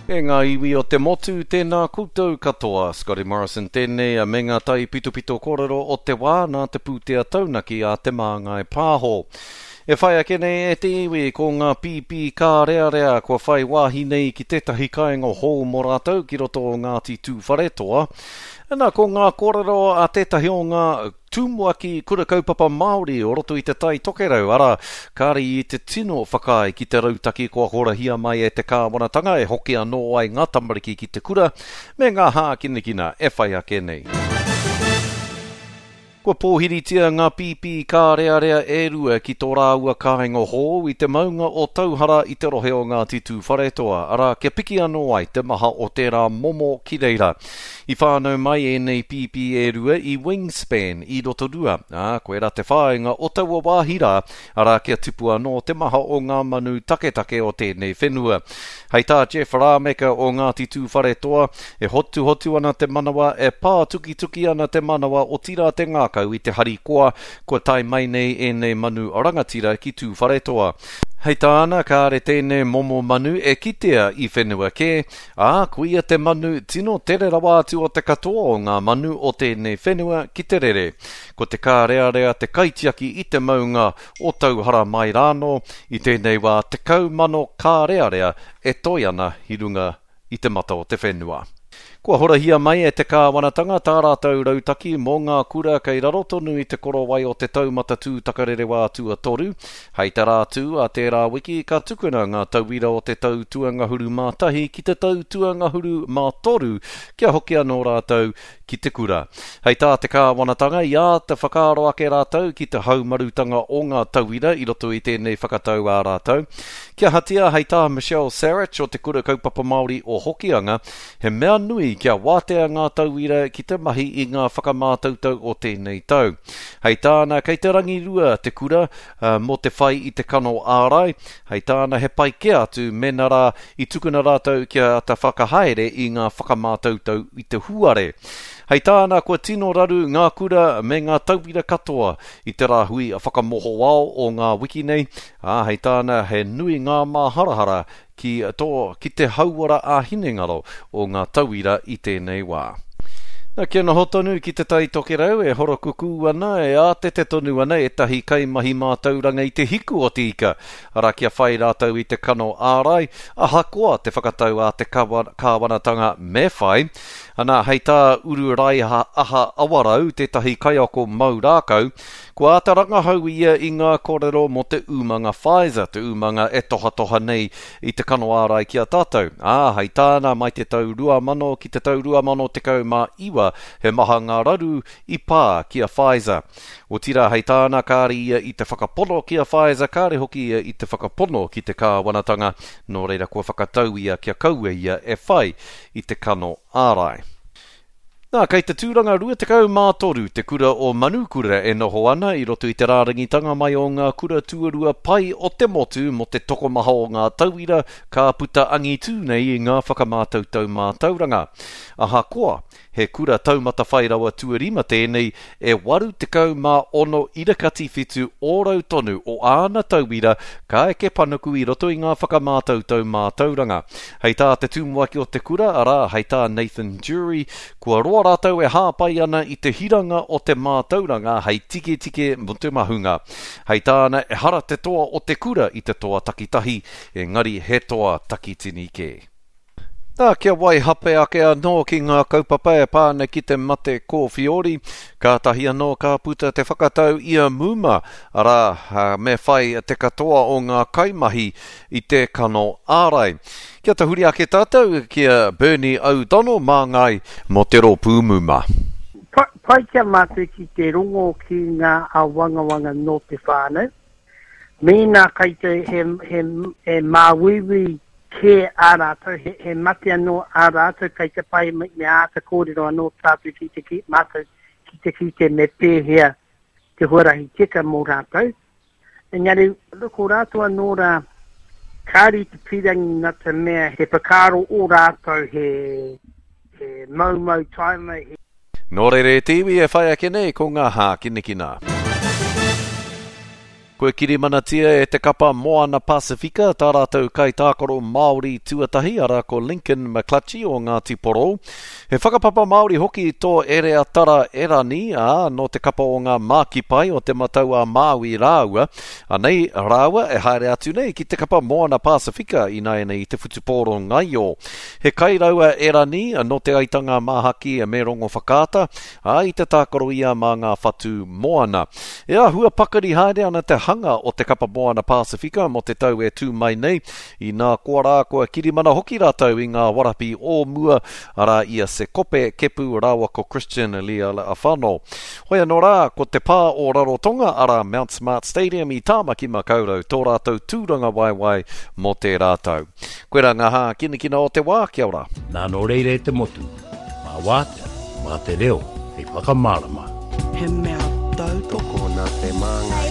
E ngā iwi o te motu, tēnā koutou katoa. Scotty Morrison tēnei me ngā taipitopito kōrero o te wā nā te pūtea taunaki a Te Māngai Pāho. E whai ake nei e te iwi ko ngā pīpī kārearea kua whai wāhi nei ki tētahi kāinga hou mō rātou ki roto o Ngāti Tūwharetoa. Ana ko ngā kōrero a tētahi o ngā Tumuaki Kura Kaupapa Māori o roto i Te Tai Tokerau, arā, kāre i te tino whakaae ki te rautaki kua horahia mai e te kāwanatanga e hoki anō ai ngā tamariki ki te kura me ngā hākinakina e whai ake nei. Kua pōhiritia ngā pīpī kārearea e rua ki tō rāua kāinga hou i te maunga o Tauhara i te rohe o Ngāti Tūwharetoa, arā, kia piki anō ai te maha o tērā momo ki reira. I whānau mai ēnei pīpī e rua i Wingspan, i Rotorua, ā, koirā te whāinga o taua wāhi rā, arā, kia tipu anō te maha o ngā manu taketake o tēnei whenua. Hei tā Jeff Rameka o Ngāti Tūwharetoa, e hotuhotu ana te manawa, e pātukituki ana te manawa, otirā te ngākau i te harikoa kua tae mai nei ēnei manu rangatira ki Tūwharetoa. Hei tāna, kāre tēnei momo manu e kitea i whenua kē, Ā, koia te manu tino tere rawa atu o te katoa o ngā manu o tēnei whenua ki te rere. Ko te kārearea te kaitiaki i te maunga o Tauhara mai rānō, i tēnei wā 10,000 kārearea e toe ana i runga i te mata o te whenua. Kua horahia mai e te kāwanatanga tā rātou rautaki mō ngā kura kei raro tonu i te korowai o te taumata tūtakarerewā tuatoru. Hei te rā tū a tērā wiki ka tukuna ngā tauira o te tau tuangahuru mā tahi ki te tau tuangahuru mā toru kia hoki anō rātou ki te kura. Hei tā te kāwanatanga i āta whakaaro ake rātou ki te haumarutanga o ngā tauira i roto i tēnei whakatau ā rātou. Kia ahatia hei tā Michelle Sarich o Te Kura Kaupapa Māori o Hokianga, he mea nui kia wātea ngā tauira ki te mahi i ngā whakamātautau o tēnei tau. Hei tāna, kei te rangirua te kura mō te whai i te kano ārai, hei tāna he pai kē atu mēnā rā i tukuna rātou kia āta whakahaere i ngā whakamātautau i te huare. Hei tāna, kua tino raru ngā kura me ngā tauira katoa i te rāhui whakamohoao o ngā wiki nei, ā, hei tāna he nui ngā māharahara ki tō, ki te hauora ā-hinengaro o ngā tauira i tēnei wā. Na, kia noho tonu ki Te Tai Tokerau, e horokukū ana, e ātete tonu ana ētahi kaimahi mātauranga i te hiku o te ika, arā kia whai rātou i te kano ārai, ahakoa te whakatau a te kāwanatanga me whai. Ana, hei tā Uru Raiha Aha Awarau, tētahi kaiako mau rākau, Kua āta rangahau ia i ngā kōrero mō te umanga Pfizer, te umanga e tohatoha nei i te kano ārai ki a tātou. Ā, hei tāna, mai te tau 2000 ki te tau 2019, he maha ngā raru i pā ki a Pfizer. Otirā, hei tāna, kāre ia i te whakapono ki a Pfizer, kāre hoki ia i te whakapono ki te kāwanatanga, nō reira kua whakatau ia kia kaua ia e whai i te kano ārai. Nā, kei te tūranga 23 te kura o Manukura e noho ana i roto i te rārangitanga mai o ngā kura tuarua pai o te motu mō te tokomaha o ngā tauira ka puta angitū nei i ngā whakamātautau mātauranga. Ahakoa, he kura taumata whai rawa tuarima tēnei, e 86 irakati whitu ōrau tonu o āna tauira ka eke panuku i roto i ngā whakamātautau mātauranga. Hei tā te tumuaki o te kura, arā, hei tā Nathan Jury, kua roa rātou e hāpai ana i te hiranga o te mātauranga hei tiketike mō te mahunga. Hei tāna, ehara te toa o te kura i te toa takitahi, engari he toa takitini kē. Nā, kia waihape ake anō ki ngā kaupapa e pā ana ki te mate kōwhiori, kātahi anō ka puta te whakatau i a Muma, arā, me whai te katoa o ngā kaimahi i te kano ārai. Kia tahuri ake tātou ki a Bernie O'Donnell māngai mō te rōpū Muma. Pai ki a mātou ki te rongo ki ngā āwangawanga nō te whānau, Mēnā kei te he, he, he māuiui kē ā rātou, he, he mate anō ā rātou, kei te pai me, me āta kōrero anō tātou ki te ki, mātou ki te kite me pēhea te huarahi tika mō rātou. Engari, ko rātou anō rā, kāre i te pīrangi nā te mea he whakaaro ō rātou he, he maumau taima, he. Nō reira e te iwi e whai ake nei ko ngā hākinakina. Kua kirimanatia e te kapa Moana Pasifika tā rātou kaitākaro Māori tuatahi, arā ko Lincoln McClutchie o Ngāti Porou. He whakapapa Māori hoki tō Ereatara Erani, ā, nō te kapa o ngā Mākipai o Te Matau-a-Māui rāua. Anei rāua e haere atu nei ki te kapa Moana Pasifika ināianei i te whutupōro ngaio. He kairau a Erani nō Te Aitanga-a-Māhaki me Rongowhakaata, ā, i te tākaro ia mā ngā whatu moana. E āhua pakari haere ana te hanga o te kapa Moana Pasifika mō te tau e tū mai nei, inā koa rā kua kirimana hoki rātou i ngā warapi o mua, arā i a Sekope Kepu rāua ko Christian Lealiifano. Hoi anō rā, ko te pā o Rarotonga, arā Mount Smart Stadium i Tāmaki Makaurau tō rātou tūrangawaewae mō tērā tau. Koirā ngā hākinakina o te wā, kia ora. Nā nō reira e te motu, mā wātea, mā te reo hei whakamārama. He mea tautoko nā te māngai.